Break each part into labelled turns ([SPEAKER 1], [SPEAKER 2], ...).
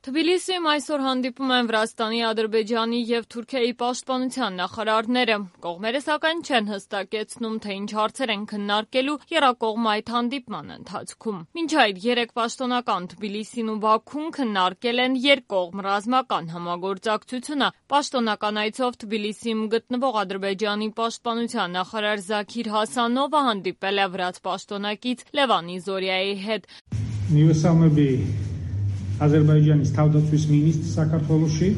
[SPEAKER 1] Թբիլիսիում այսօր հանդիպում են Վրաստանի, Ադրբեջանի և Թուրքիայի պաշտպանության նախարարները։ Կողմերը սակայն չեն հստակեցնում, թե ինչ հարցեր են քննարկելու եռակողմ այդ հանդիպման ընթացքում։ Մինչ այդ երեք պաշտոնական Թբիլիսին ու Բաքուն քննարկել են երկկողմ ռազմական համագործակցությունը։ Պաշտոնական այցով Թբիլիսիում գտնվող Ադրբեջանի պաշտպանության նախարար Զաքիր Հասանովը հանդիպել է վրաց պաշտոնակից Լևան Իզորիայի հետ։
[SPEAKER 2] Ադրբեջանից თავდაცვის მინისტრ საქართველოში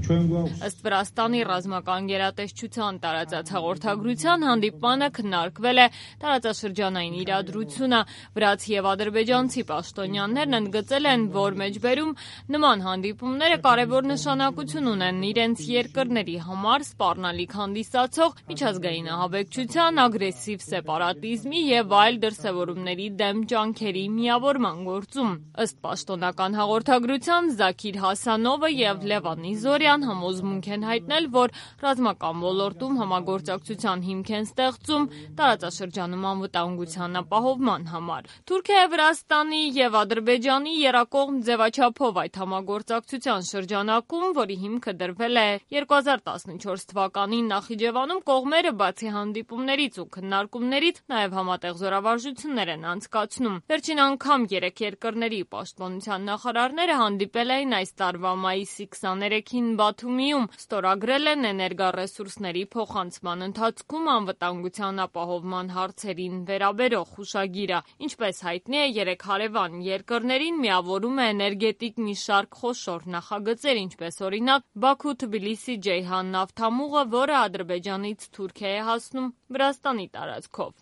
[SPEAKER 1] Ըստ Վրաստանի ռազմական գերատեսչության տարածած հաղորդագրության հանդիպմանը քննարկվել է տարածաշրջանային իրադրությունը։ Վրաց և ադրբեջանցի պաշտոնյաներն ընդգծել են, որ մեջբերում նման հանդիպումները կարևոր նշանակություն ունեն իրենց երկրների համար սպառնալիք հանդիսացող միջազգային ահաբեկչության, ագրեսիվ սեպարատիզմի և այլ դրսևորումների դեմ ջանքերի միավորման գործում։ Ըստ պաշտոնական հաղորդագրության Զաքիր Հասանովը և Լևան Իզորիան համոզմունք են հայտնել, որ ռազմական ոլորտում համագործակցության հիմք են ստեղծում տարածաշրջանում անվտանգության ապահովման համար։ Թուրքիայի, Վրաստանի և Ադրբեջանի եռակողմ ձևաչափով այդ համագործակցության շրջանակում, որի հիմքը դրվել է 2014 թվականին Նախիջևանում, կողմերը բացի հանդիպումներից ու քննարկումներից նաև համատեղ զորավարժություններ են անցկացնում։ Վերջին անգամ երեք երկրների պաշտպանության նախարարները հանդիպել էին այս տարվա մայիսի 23-ին Բաթումիում, ստորագրել են էներգառեսուրսների փոխանցման ընթացքում անվտանգության ապահովման հարցերին վերաբերող հուշագիրը։ Ինչպես հայտնի է, երեք հարևան երկրներին միավորում է էներգետիկ մի շարք խոշոր նախագծեր, ինչպես օրինակ Բաքու-Թբիլիսի-Ջեյհան նավթամուղը, որը Ադրբեջանից Թուրքիա է հասնում Վրաստանի տարածքով։